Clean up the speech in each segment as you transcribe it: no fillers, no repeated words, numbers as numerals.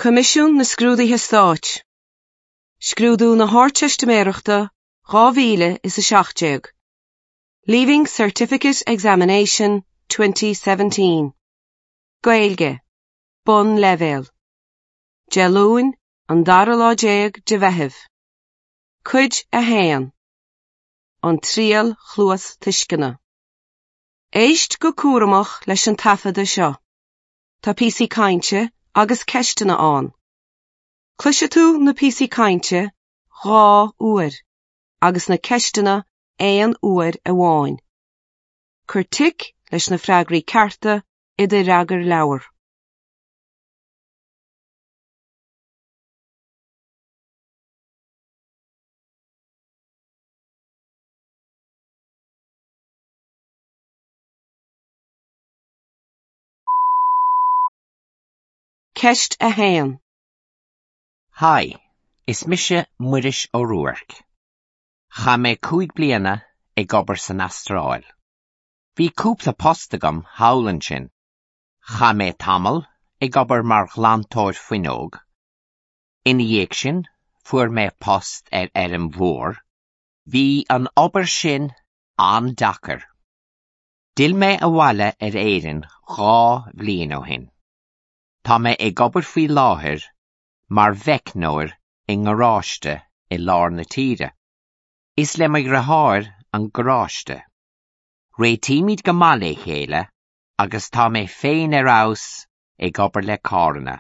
Coimisiún na Scrúduithe Stáit. Scrúdú na hArdteistiméireachta 2017. Leaving Certificate Examination 2017. Gaeilge. Bunleibhéal. Dé Luain, an dara lá déag de Mheitheamh. Cuid 1. An Triail Chluastuisceana. Éist go cúramach leis an taifeadadh seo. Tá píosaí cainte agus ceisteanna ann. Cloisfidh tú na píosaí cainte dhá uair agus na ceisteanna aon uair amháin. Cuir tic leis na freagraí cearta i do fhreagarleabhar. Ceist 1. Haigh, is mise Muiris Ó Ruairc. Chaith mé 5 bliana ag obair san Astráil. Bhí cúpla post agam thall ansin. Chaith mé tamall ag obair mar ghlantóir fuinneog. Ina dhiaidh sin, fuair mé post ar fheirm mhór. Bhí an obair sin an-deacair. D'fhill mé abhaile ar Éirinn 2 bhliain ó shin. Tá mé ag obair faoi láthair mar mheicneoir i ngaráiste i lár na tíre. Is le mo dheartháir an garáiste. Réitímid go maith le chéile agus tá mé féin ar fheabhas ag obair le carranna.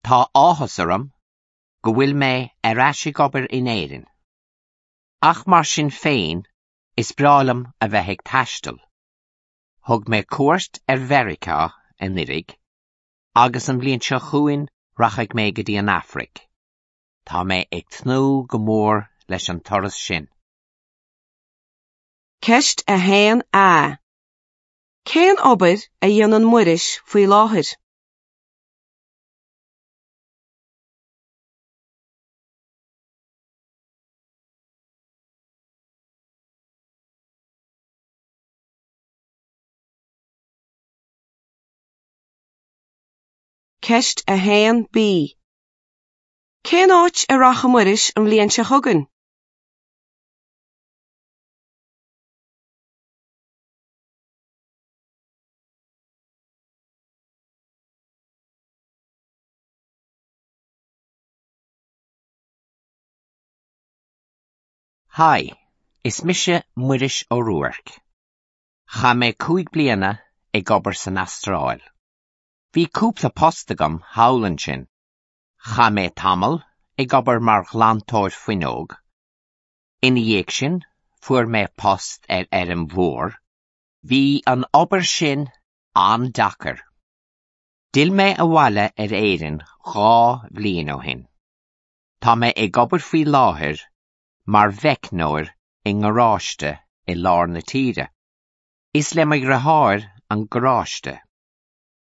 Tá áthas orm go bhfuil mé ar ais ag obair in Éirinn. Ach mar sin féin, is breá liom a bheith ag taisteal. Thug mé cuairt ar Mheiriceá anuraidh agus an bhliain seo chugainn rachaidh mé go dtí an Afraic. Tá mé ag tnúth go mór leis an turas sin. Ceist 1A. Cén obair a dhéanann Muiris faoi láthair? Ceist 1B. Cén áit a rachaidh Muiris an bhliain seo chugainn? Haigh, is mise Muiris Ó Ruairc. Chaith mé 5 bliana ag obair san Astráil. Bhí cúpla post agam thall ansin. Chaith mé tamall ag obair mar ghlantóir fuinneog. Ina dhiaidh sin, fuair mé post ar fheirm mhór. Bhí an obair sin an-deacair. D'fhill mé abhaile ar Éirinn 2 bhliain ó shin. Tá mé ag obair faoi láthair mar mheicneoir i ngaráiste i lár na tíre. Is le mo dheartháir an garáiste.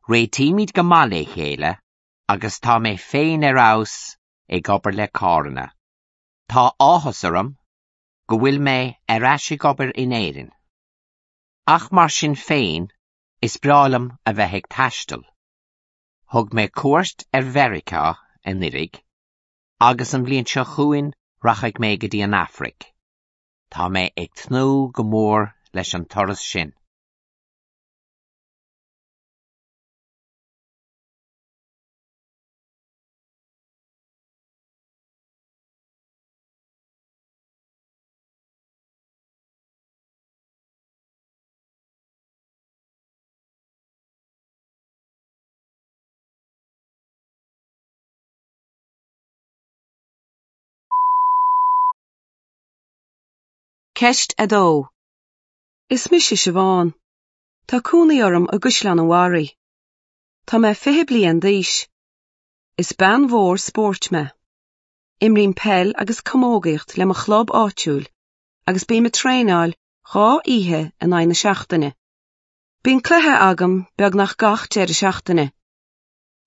Réitímid go maith le chéile agus tá mé féin ar fheabhas ag obair le carranna. Tá áthas orm go bhfuil mé ar ais ag obair in Éirinn. Ach mar sin féin, is breá liom a bheith ag taisteal. Thug mé cuairt ar Mheiriceá anuraidh agus an bhliain seo chugainn rachaidh mé go dtí an Afraic. Tá mé ag tnúth go mór leis an turas sin. Ceist 2. Is mise Siobhán. Tá cónaí orm i gCaisleán an Bharraigh. Tá mé 20 bliain d'aois. Is bean mhór spóirt mé. Imrím peil agus camógaíocht le mo chlub áitiúil agus bím ag traenáil dhá oíche in aghaidh na seachtaine. Bíonn cluiche agam beagnach gach deireadh seachtaine.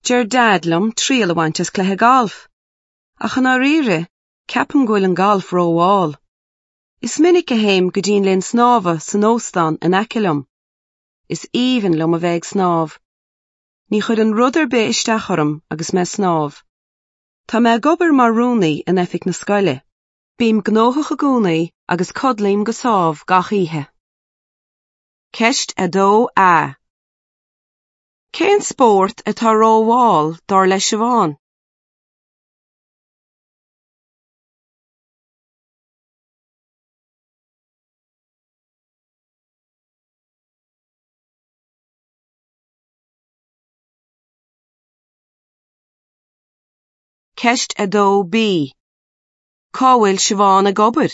Deir Dad liom triail a bhaint as cluiche gailf. Ach i ndáiríre, ceapaim go bhfuil an galf rómhall. Is minic a théim go dtí an linn snámha san óstán in aice liom. Is aoibhinn liom a bheith ag snámh. Ní chuireann rud ar bith isteach orm agus mé ag snámh. Tá mé ag obair mar rúnaí in oifig na scoile. Bím gnóthach i gcónaí agus codlaím go sámh gach oíche. Ceist 2A. Cén spórt atá rómhall dar le Siobhán? Ceist 2B. Cá bhfuil Siobhán ag obair?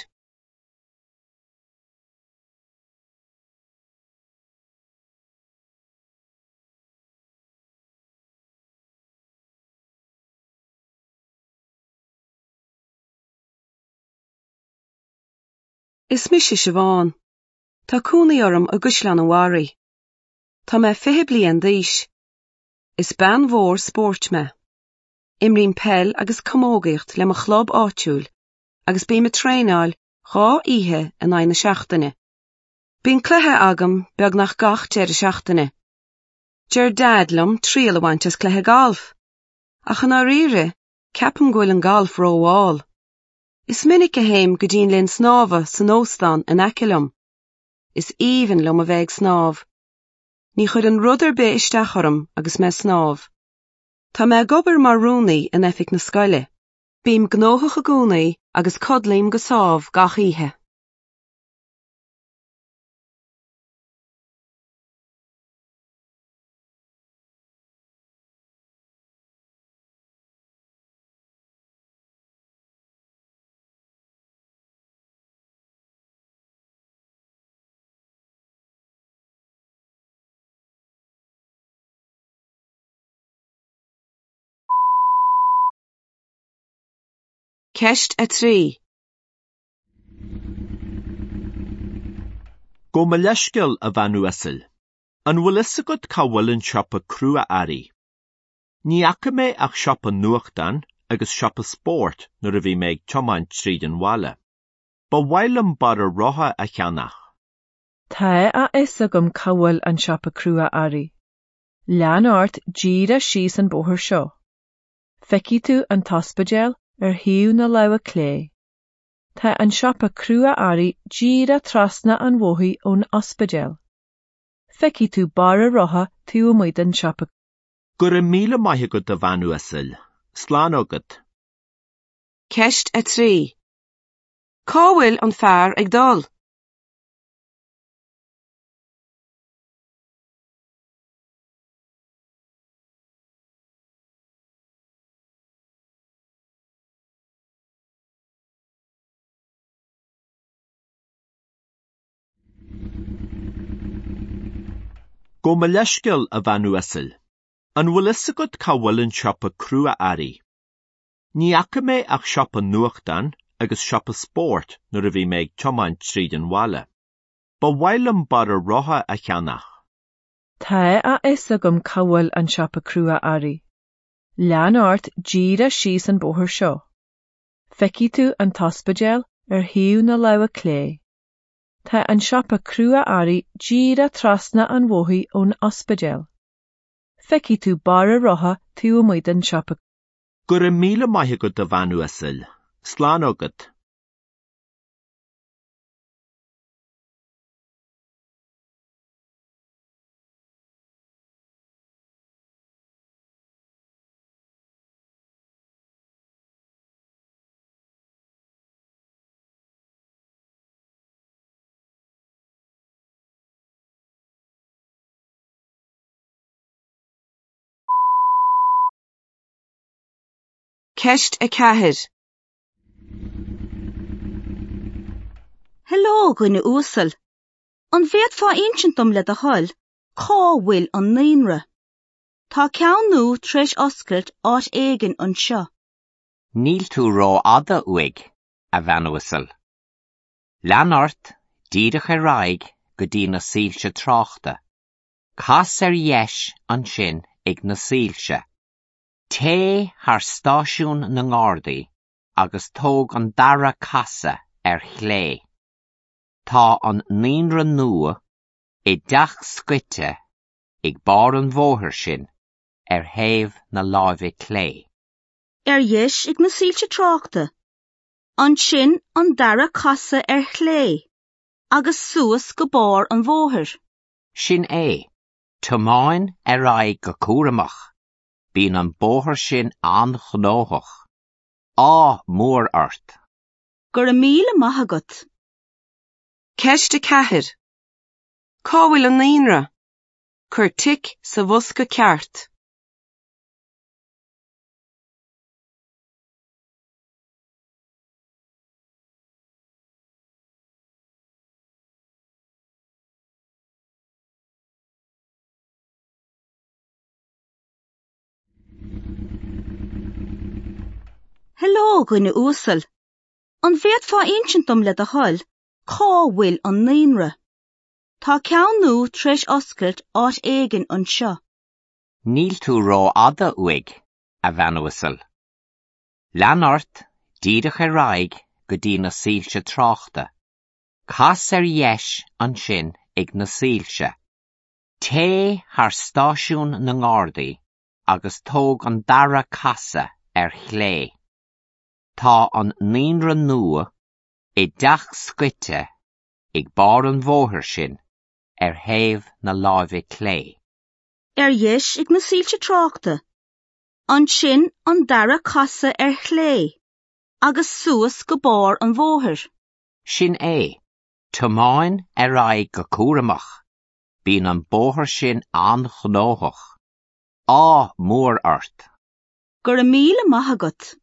Is mise Siobhán. Tá cónaí orm i gCaisleán an Bharraigh. Tá mé 20 bliain d'aois. Is bean mhór spóirt mé. Imrím peil agus camógaíocht le mo chlub áitiúil agus bím ag traenáil dhá oíche in aghaidh na seachtaine. Bíonn cluiche agam beagnach gach deireadh seachtaine. Deir Dad liom triail a bhaint as cluiche gailf. Ach i ndáiríre, ceapaim go bhfuil an galf rómhall. Is minic a théim go dtí an linn snámha san óstán in aice liom. Is aoibhinn liom a bheith ag snámh. Ní chuireann rud ar bith isteach orm agus mé ag snámh. Tá mé ag obair mar rúnaí in oifig na scoile. Bím gnóthach i gcónaí agus codlaím go sámh gach oíche. Ceist 3. Gabh mo leithscéal, a bhean uasail. An bhfuil fhios agat cá bhfuil an siopa crua-earraí? Ní fhaca mé ach siopa nuachtán agus siopa spóirt nuair a bhí mé ag tiomáint tríd an bhaile. Ba mhaith liom barra rotha a cheannach. Tá a fhios agam cá bhfuil an siopa crua-earraí. Lean ort díreach síos an bóthar seo. Feicfidh tú an t-ospidéal ar thaobh na láimhe clé. Tá an siopa crua-earraí díreach trasna an bhóthair ón ospidéal. Feicfidh tú barra rotha taobh amuigh den siopa. Go raibh míle maith agat a bhean uasail. Slán agat. Ceist 3. Cá bhfuil an fear ag dul? Gabh mo leithscéal, a bhean uasail. An bhfuil fhios agat cá bhfuil an siopa crua-earraí? Ní fhaca mé ach siopa nuachtán agus siopa spóirt nuair a bhí mé ag tiomáint tríd an bhaile. Ba mhaith liom barra rotha a cheannach. Tá a fhios agam cá bhfuil an siopa crua-earraí. Lean ort díreach síos an bóthar seo. Feicfidh tú an t-ospidéal ar thaobh na láimhe clé. Tá an siopa crua-earraí díreach trasna an bhóthair ón ospidéal. Feicfidh tú barra rotha taobh amuigh den siopa. Go raibh míle maith agat a bhean uasail. Slán agat. Ceist 4. Heileo, a dhuine uasail. An bhféadfá insint dom le do thoil cá bhfuil an naíonra? Tá ceann nua tar éis oscailt áit éigin anseo. Níl tú rófhada uaidh, a bhean uasail. Lean ort díreach ar aghaidh go dtí na soilse tráchta. Cas ar dheis ansin ag na soilse. Téigh thar stáisiún na nGardaí agus tóg an dara casadh ar chlé. Tá an naíonra nua i dteach scoite ag barr an bhóthair sin. ar thaobh na láimhe clé. Ar dheis ag na soilse tráchta. Ansin an dara casadh ar chlé agus suas go barr an bhóthair. Sin é. Tiomáin ar aghaidh go cúramach. Bíonn an bóthar sin an-ghnóthach. Ádh mór ort! Go raibh míle maith agat. Ceist 4. Cá bhfuil an naíonra? Cuir tic sa bhosca ceart. Heileo, a dhuine uasail. An bhféadfá insint dom le do thoil cá bhfuil an naíonra? Tá ceann nua tar éis oscailt áit éigin anseo. Níl tú rófhada uaidh, a bhean uasail. Lean ort díreach ar aghaidh go dtí na soilse tráchta. Cas ar dheis ansin ag na soilse. Téigh thar stáisiún na nGardaí agus tóg an dara casadh ar chlé. Tá an naíonra nua i dteach scoite ag barr an bhóthair sin ar thaobh na láimhe clé. Ar dheis ag na soilse tráchta. Ansin an dara casadh ar chlé agus suas go barr an bhóthair. Sin é. Tiomáin ar aghaidh go cúramach. Bíonn an bóthar sin an-ghnóthach. Ádh mór ort! Go raibh míle maith agat.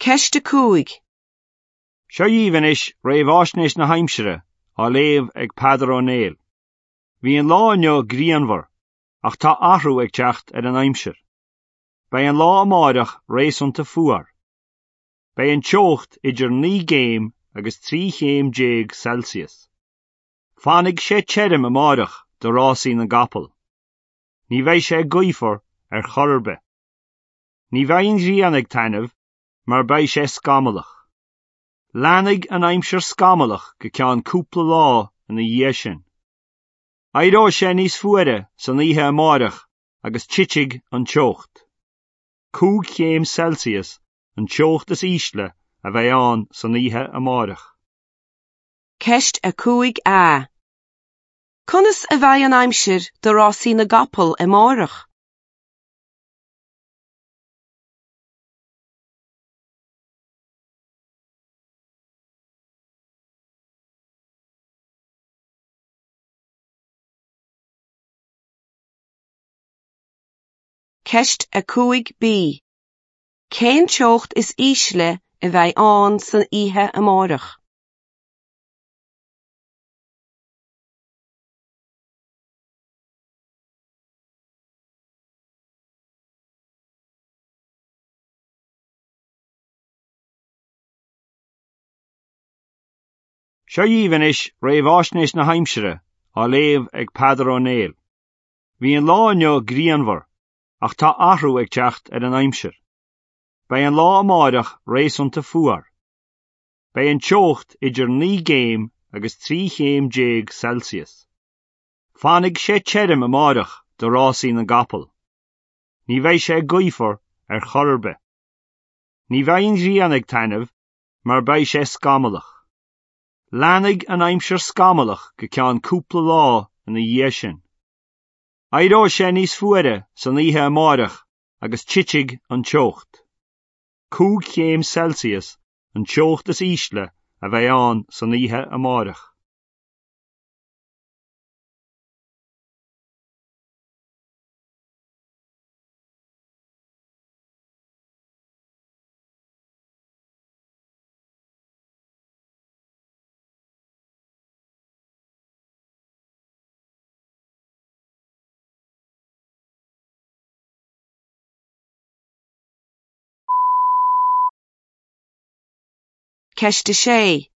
Ceist 5. Seo dhaoibh anois réamháisnéis na haimsire á léamh ag Peadar Ó Néill. Bhí an lá inniu grianmhar ach tá athrú ag teacht ar an aimsir. Beidh an lá amáireach réasúnta fuar. Beidh an teocht idir 9 gcéim agus 13 chéim Celsius. Fanfaidh sé tirim amáireach do rásaí na gcapall. Ní bheidh sé gaofar ar chor ar bith. Ní bheidh an ghrian ag taitneamh mar beidh sé scamallach. Leanfaidh an aimsir scamallach go ceann cúpla lá ina dhiaidh sin. Éireoidh sé níos fuaire san oíche amáireach agus titfidh an teocht. 5 chéim Celsius an teocht is ísle a bheidh ann san oíche amáireach. Ceist 5A. Conas a bheidh an aimsir do rásaí na gcapall amáireach? Ceist 5B. Cén teocht is ísle a bheidh ann san oíche amáireach? Seo dhaoibh anois réamháisnéis na haimsire á léamh ag Peadar Ó Néill. Bhí an lá inniu grianmhar ach tá athrú ag teacht ar an aimsir. Beidh an lá amáireach réasúnta fuar. Beidh an teocht idir 9 gcéim agus 13 chéim Celsius. Fanfaidh sé tirim amáireach do rásaí na gcapall. Ní bheidh sé gaofar ar chor ar bith. Ní bheidh an ghrian ag taitneamh mar beidh sé scamallach. Leanfaidh an aimsir scamallach go ceann cúpla lá ina dhiaidh sin. Éireoidh sé níos fuaire san oíche amáireach agus titfidh an teocht. 5 chéim Celsius an teocht is ísle a bheidh ann san oíche amáireach. Ceist 6.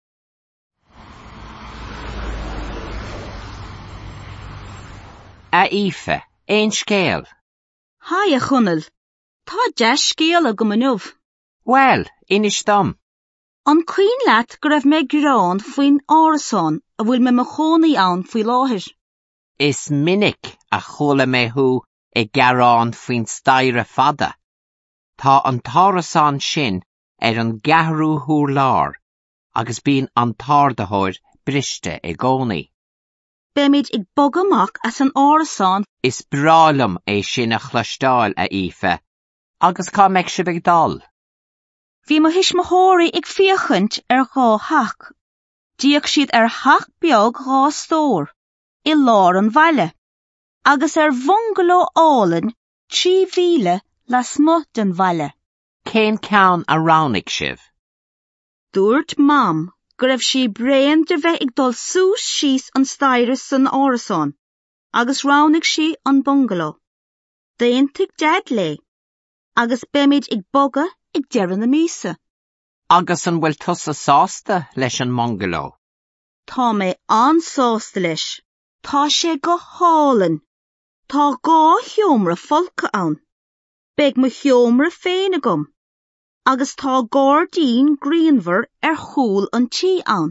A Aoife, aon scéal? Haigh a Chonaill. Tá dea-scéal agam inniu. Bhuel, inis dom. An cuimhin leat go raibh mé ag gearán faoin árasán a bhfuil mé i mo chónaí ann faoi láthair? Is minic a chuala mé thú ag gearán faoin staighre fada. Tá an t-árasán sin ar an gceathrú hurlár agus bíonn an t-ardaitheoir briste i gcónaí. Beimid ag bogadh amach as an árasán. Is breá liom é sin a chloisteáil, a Aoife. Agus cá mbeidh sibh ag dul? Bhí mo thuismitheoirí ag féachaint ar dhá theach. D'fhéach siad ar theach beag dhá stór, i lár an bhaile, agus ar bhungaló álainn 3 mhíle lasmuigh den bhaile. Cén ceann a roghnaigh sibh? Dúirt Mam go raibh sí bréan de bheith ag dul suas síos an staighre san árasán agus roghnaigh sí an bungaló. D'aontaigh Deaid léi agus beimid ag bogadh ag deireadh na míosa. Agus an bhfuil tusa sásta leis an mbungaló? Tá mé an-sásta leis. Tá sé go hálainn. Tá dhá sheomra folctha ann. Beidh mo sheomra féin agam. Agus tá gairdín grianmhar ar chúl an tí ann.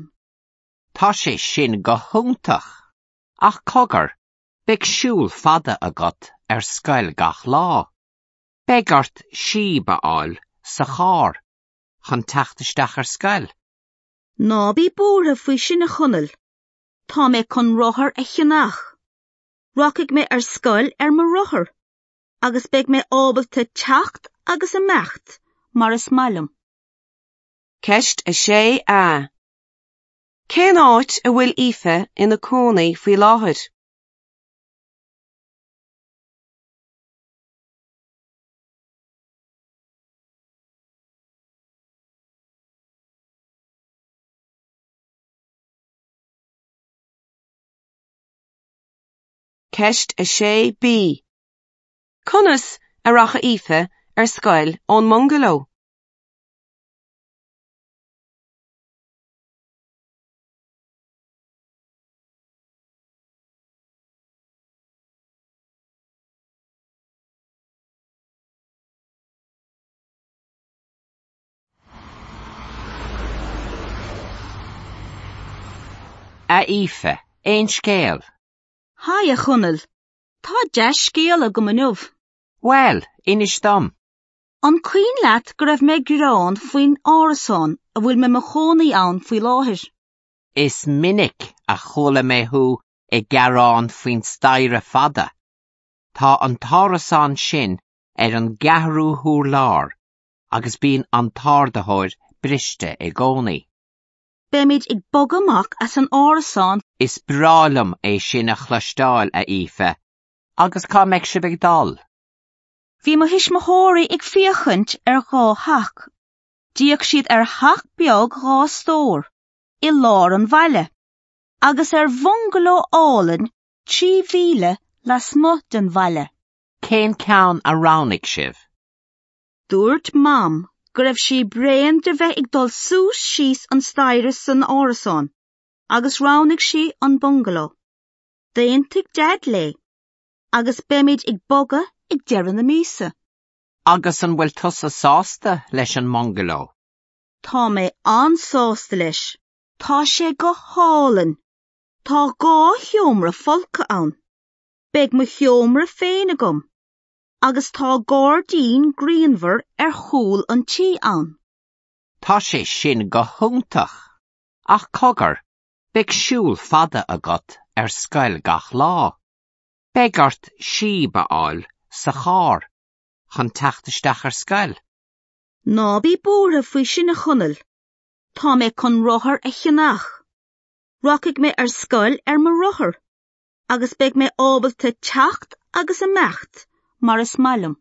Tá sé sin go hiontach. Ach cogar, beidh siúl fada agat ar scoil gach lá. Beidh ort síob a fháil sa charr chun teacht isteach ar scoil. Ná bí buartha faoi sin a Chonaill. Tá mé chun rothar a cheannach. Rachaidh mé ar scoil ar mo rothar agus beidh mé ábalta teacht agus imeacht mar is maith liom. Ceist 6A. Cén áit a bhfuil Aoife ina cónaí faoi láthair? Ceist 6B. Conas a rachaidh Aoife ar scoil ón mbungaló? A Aoife, aon scéal? Haigh a Chonaill. Tá dea-scéal agam inniu. Bhuel, inis dom. An cuimhin leat go raibh mé ag gearán faoin árasán a bhfuil mé i mo chónaí ann faoi láthair? Is minic a chuala mé thú ag gearán faoin staighre fada. Tá an t-árasán sin ar an gceathrú hurlár agus bíonn an t-ardaitheoir briste i gcónaí. Beimid ag bogadh amach as an árasán. Is breá liom é sin a chloisteáil, a Aoife. Agus cá mbeidh sibh ag dul? Bhí mo thuismitheoirí ag féachaint ar dhá theach. D'fhéach siad ar theach beag dhá stór, i lár an bhaile, agus ar bhungaló álainn 3 mhíle lasmuigh den bhaile. Cén ceann a roghnaigh sibh? Dúirt Mam go raibh sí bréan de bheith ag dul suas síos an staighre san árasán agus roghnaigh sí an bungaló. D'aontaigh Deaid léi agus beimid ag bogadh ag deireadh na míosa. Agus an bhfuil tusa sásta leis an mbungaló? Tá mé an-sásta leis. Tá sé go hálainn. Tá dhá sheomra folctha ann. Beidh mo sheomra féin agam. Agus tá gairdín grianmhar ar chúl an tí ann. Tá sé sin go hiontach. Ach cogar, beidh siúl fada agat ar scoil gach lá. Beidh ort síob a fháil sa charr chun teacht isteach ar scoil. Ná bí buartha faoi sin a Chonaill. Tá mé chun rothar a cheannach. Rachaidh mé ar scoil ar mo rothar agus beidh mé ábalta teacht agus imeacht mar is maith liom.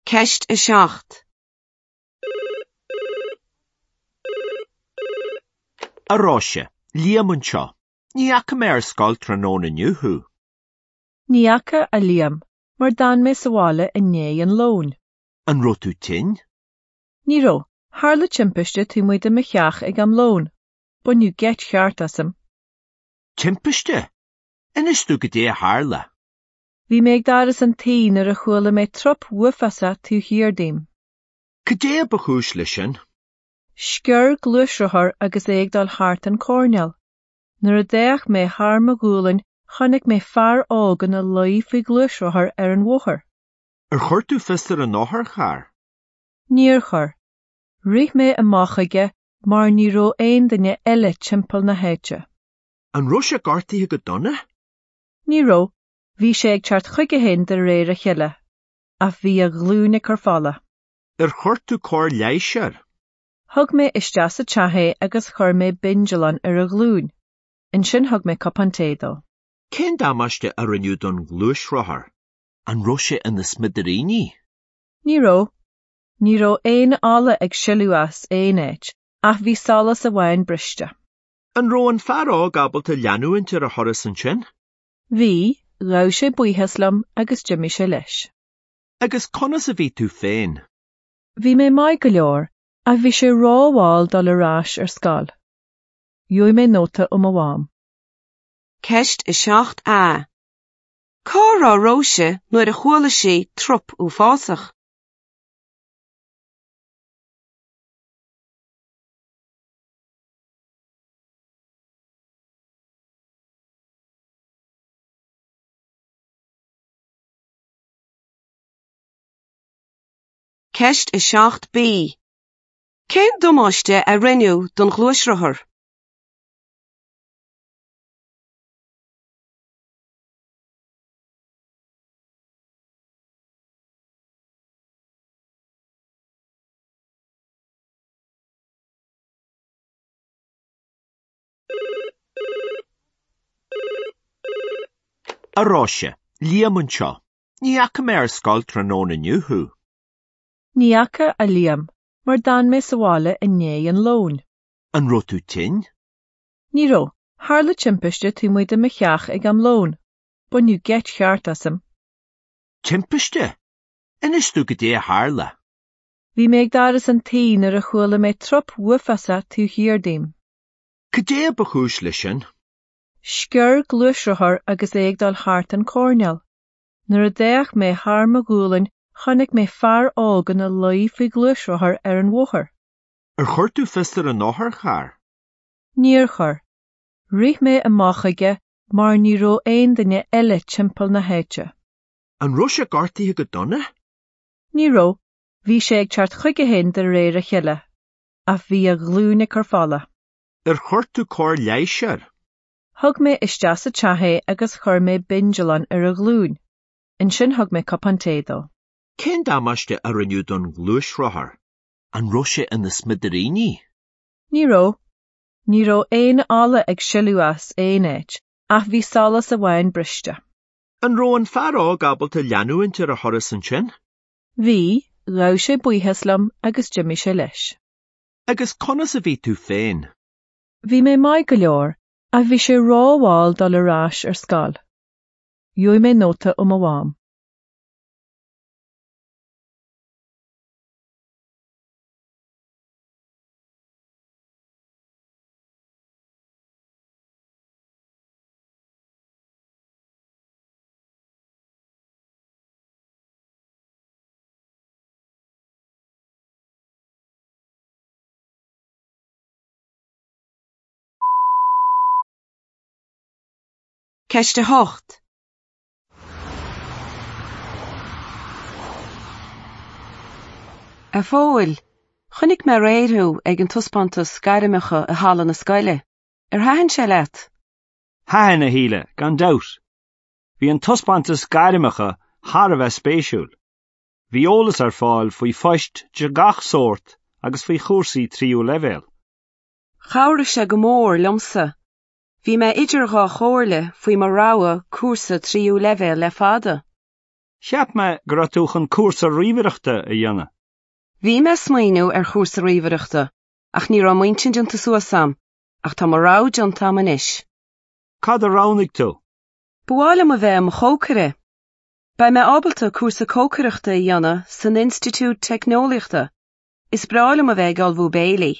Ceist 7. A Róise, Liam anseo. Ní fhaca mé ar scoil tráthnóna inniu thú. Ní fhaca, a Liam, mar d'fhan mé sa bhaile i ndiaidh an lóin. An raibh tú tinn? Ní raibh. Tharla timpiste taobh amuigh de mo theach ag am lóin. Baineadh geit cheart asam. Timpiste? Inis domh goidé a tharla. Bhí mé ag doras an tí nuair a chuala mé trup uafásach taobh thiar díom. Cad é ba chúis leis sin? Sciorr gluaisrothar agus é ag dul thart an coirnéal. Nuair a d'fhéach mé thar mo ghualainn chonaic mé fear óg ina luí faoi ghluaisrothar ar an bhóthar. Ar chuir tú fios ar an otharcharr? Níor chuir. Rith mé amach chuige mar ní raibh aon duine eile timpeall na háite. An raibh sé gortaithe go dona? Ní raibh. Bhí sé ag teacht chuige féin de réir a chéile. Ach bhí a ghlúin ag cur fola. Ar chuir tú cóir leighis air? Thug mé isteach sa teach é agus chuir mé bindealán ar a ghlúin. Ansin thug mé cupán tae dó. Cén damáiste a rinneadh don ghluaisrothar? An raibh sé ina smidiríní? Ní raibh. Ní raibh aon ola ag sileadh as aon áit, ach bhí solas amháin briste. An raibh an fear óg ábalta leanúint ar a thuras ansin? Bhí, ghabh sé buíochas liom agus d'imigh sé leis. Agus conas a bhí tú féin? Bhí mé maith go leor, ach bhí sé rómhall dul ar ais ar scoil. Gheobhaidh mé nóta ó mo mham. Ceist 7A. Cá raibh Róise nuair a chuala sí trup uafásach? Ceist 7B. Cén damáiste a rinneadh don ghluaisrothar? A Róise, Liam anseo. Ní fhaca mé ar scoil tráthnóna inniu thú. Ní fhaca, a Liam, mar d'fhan mé sa bhaile i ndiaidh an lóin. An raibh tú tinn? Ní raibh. Tharla timpiste taobh amuigh de mo theach ag am lóin. Baineadh geit cheart asam. Timpiste? Inis domh goidé a tharla. Bhí mé ag doras an tí nuair a chuala mé trup uafásach taobh thiar díom. Cad é ba chúis leis sin? Sciorr gluaisrothar agus é ag dul thart an coirnéal. Nuair a d'fhéach mé thar mo ghualainn chonaic mé fear óg ina luí faoi ghluaisrothar ar an bhóthar. Ar chuir tú fios ar an otharcharr? Níor chuir. Rith mé amach chuige mar ní raibh aon duine eile timpeall na háite. An raibh sé gortaithe go dona? Ní raibh. Bhí sé ag teacht chuige féin de réir a chéile. Ach bhí a ghlúin ag cur fola. Ar chuir tú cóir leighis air? Thug mé isteach sa teach é agus chuir mé bindealán ar a ghlúin. Ansin thug mé cupán tae dó. Cén damáiste a rinneadh don ghluaisrothar? An raibh sé ina smidiríní? Ní raibh. Ní raibh aon ola ag sileadh as aon áit, ach bhí solas amháin briste. An raibh an fear óg ábalta leanúint ar a thuras ansin? Bhí, ghabh sé buíochas liom agus d'imigh sé leis. Agus conas a bhí tú féin? Bhí mé maith go leor, ach bhí sé rómhall dul ar ais ar scoil. Gheobhaidh mé nóta ó mo mham. Ceist 8. A Phóil, chonaic mé aréir thú ag an taispeántas gairmeacha i halla na scoile. Ar thaitin sé leat? Thaitin, a Shíle, gan dabht. Bhí an taispeántas gairmeacha thar a bheith spéisiúil. Bhí eolas ar fáil faoi phoist de gach sórt agus faoi chúrsaí tríú leibhéal. Chabhraigh sé go mór liomsa. Bhí mé idir dhá chomhairle faoi mo rogha cúrsa tríú leibhéal le fada. Cheap mé go raibh tú chun cúrsa ríomhaireachta a dhéanamh. Bhí mé ag smaoineamh ar chúrsa ríomhaireachta ach ní raibh m'intinn déanta suas a'm, ach tá mo rogha déanta a'm anois. Cad a roghnaigh tú? Ba mhaith liom a bheith i mo chócaire. Beidh mé ábalta cúrsa cócaireachta a dhéanamh san Institiúid Teicneolaíochta. Is breá liom a bheith ag ullmhú béilí.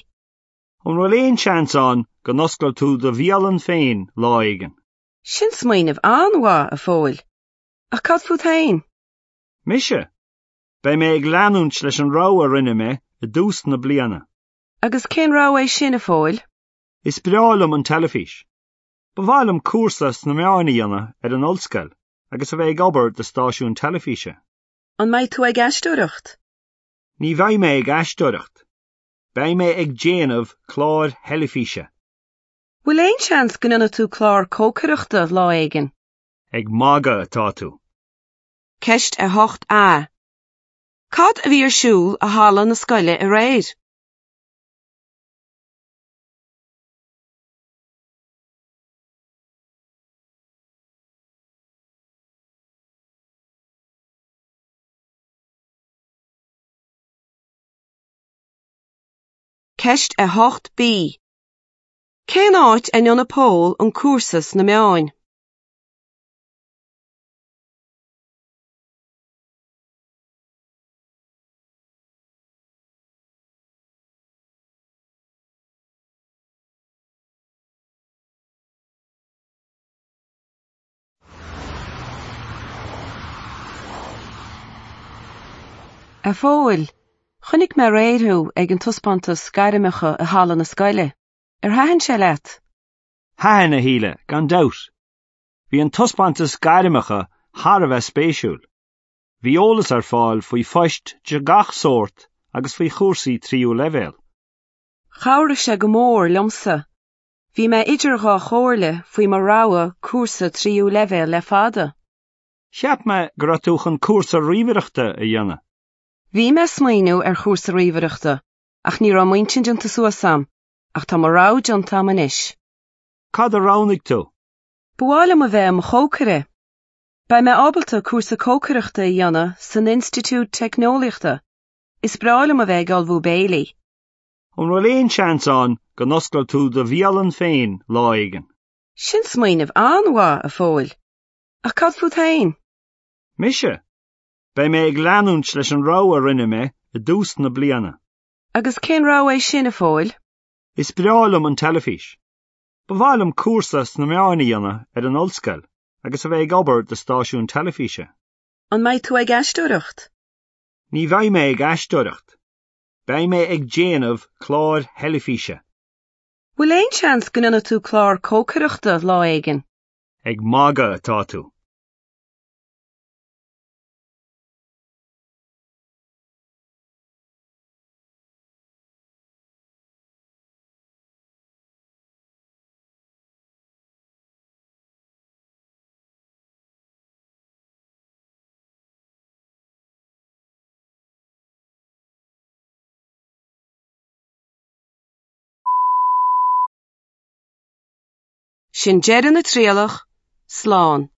An bhfuil aon seans ann go n-osclóidh tú do bhialann féin lá éigin? Sin smaoineamh an-mhaith, a Phóil. Ach cad fút féin? Mise? Beidh mé ag leanúint leis an rogha a rinne mé i dtús na bliana. Agus cén rogha é sin, a Phóil? Is breá liom an teilifís. Ba mhaith liom cúrsa sna meáin a dhéanamh ar an ollscoil agus a bheith ag obair do stáisiún teilifíse. An mbeidh tú ag aisteoireacht? Ní bheidh mé ag aisteoireacht. Beidh mé ag déanamh cláir theilifíse. Bhfuil aon seans go ndéanfaidh tú clár cócaireachta lá éigin? Ag magadh atá tú. Ceist 8A. Cad a bhí ar siúl i halla na scoile aréir? Ceist 8B. Cén áit a ndéanfaidh Pól an cúrsa sna meáin? A Phóil, chonaic mé aréir thú ag an taispeántas gairmeacha i halla na scoile. Ar thaitin sé leat? Thaitin, a Shíle, gan dabht. Bhí an taispeántas gairmeacha thar a bheith spéisiúil. Bhí eolas ar fáil faoi phoist de gach sórt agus faoi chúrsaí tríú leibhéal. Chabhraigh sé go mór liomsa. Bhí mé idir dhá chomhairle faoi mo rogha cúrsa tríú leibhéal le fada. Cheap mé go raibh tú chun cúrsa ríomhaireachta a dhéanamh. Bhí mé ag smaoineamh ar chúrsa ríomhaireachta ach ní raibh m'intinn déanta suas a'm, ach tá mo rogha déanta a'm anois. Cad a roghnaigh tú? Ba mhaith liom a bheith i mo chócaire. Beidh mé ábalta cúrsa cócaireachta a dhéanamh san Institiúid Teicneolaíochta. Is breá liom a bheith ag ullmhú béilí. An bhfuil aon seans ann go n-osclóidh tú do bhialann féin lá éigin? Sin smaoineamh an-mhaith, a Phóil. Ach cad fút féin? Mise? Beidh mé ag leanúint leis an rogha a rinne mé i dtús na bliana. Agus cén rogha é sin, a Phóil? Is breá liom an teilifís. Ba mhaith liom cúrsa sna meáin a dhéanamh ar an ollscoil agus a bheith ag obair do stáisiún teilifíse. An mbeidh tú ag aisteoireacht? Ní bheidh mé ag aisteoireacht. Beidh mé ag déanamh cláir theilifíse. Bhfuil aon seans go ndéanfaidh tú clár cócaireachta lá éigin? Ag magadh atá tú. Sin deireadh na trialach. Slán.